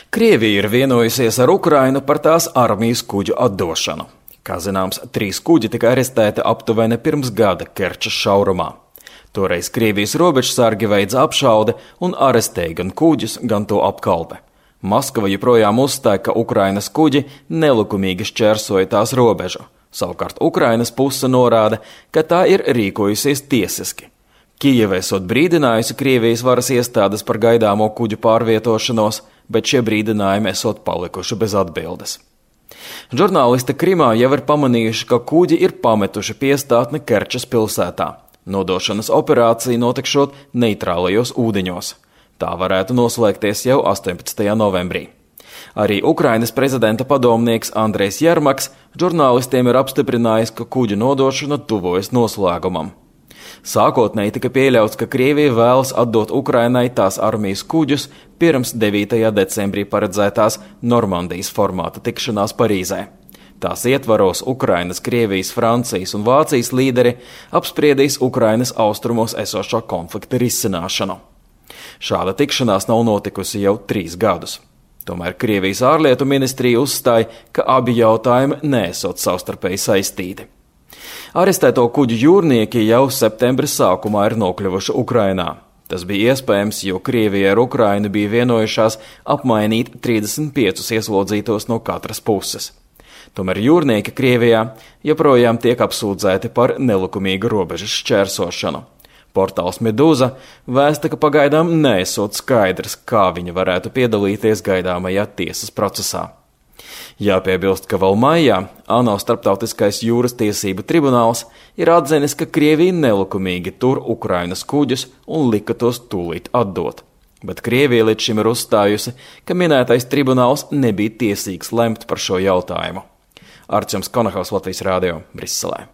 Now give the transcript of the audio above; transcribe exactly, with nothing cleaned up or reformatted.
Krievija ir vienojusies ar Ukrainu par tās armijas kuģu atdošanu. Kā zināms, trīs kuģi tika arestēti aptuveni pirms gada Kerčas šaurumā. Toreiz Krievijas robežsargi veica apšaude un arestēja gan kuģus, gan to apkalpe. Maskava joprojām uzstāja, ka Ukrainas kuģi nelikumīgi šķērsoja tās robežu. Savukārt Ukrainas puse norāda, ka tā ir rīkojusies tiesiski. Kijeva esot brīdinājusi Krievijas varas iestādes par gaidāmo kuģu pārvietošanos, bet šie brīdinājumi esot palikuši bez atbildes. Žurnālisti Krimā jau ir pamanījuši, ka kuģi ir pametuši piestātni Kerčas pilsētā. Nodošanas operācija notikšot neitrālajos ūdeņos. Tā varētu noslēgties jau astoņpadsmitajā novembrī. Arī Ukrainas prezidenta padomnieks Andrejs Jermaks žurnālistiem ir apstiprinājis, ka kuģu nodošana tuvojas noslēgumam. Sākotnēji tika pieļauts, ka Krievija vēlas atdot Ukrainai tās armijas kuģus pirms devītajā decembrī paredzētās Normandijas formāta tikšanās Parīzē. Tās ietvaros Ukrainas, Krievijas, Francijas un Vācijas līderi apspriedīs Ukrainas austrumos esošo konflikta risināšanu. Šāda tikšanās nav notikusi jau trīs gadus. Tomēr Krievijas ārlietu ministrija uzstāja, ka abi jautājumi neesot savstarpēji saistīti. Arestēto kuģu jūrnieki jau septembra sākumā ir nokļuvuši Ukrainā. Tas bija iespējams, jo Krievija ar Ukrainu bija vienojušās apmainīt trīsdesmit piecus ieslodzītos no katras puses. Tomēr jūrnieki Krievijā joprojām tiek apsūdzēti par nelikumīgu robežas šķērsošanu. Portāls Medūza vēsta, ka pagaidām neesot skaidrs, kā viņi varētu piedalīties gaidāmajā tiesas procesā. Jāpiebilst, ka vēl maijā ANO Starptautiskais jūras tiesību tribunāls ir atzinis, ka Krievija nelikumīgi tur Ukrainas kuģus un lika tos tūlīt atdot. Bet Krievija līdz šim ir uzstājusi, ka minētais tribunāls nebija tiesīgs lemt par šo jautājumu. Arčuns Konahaus, Latvijas Rādio, Briselē.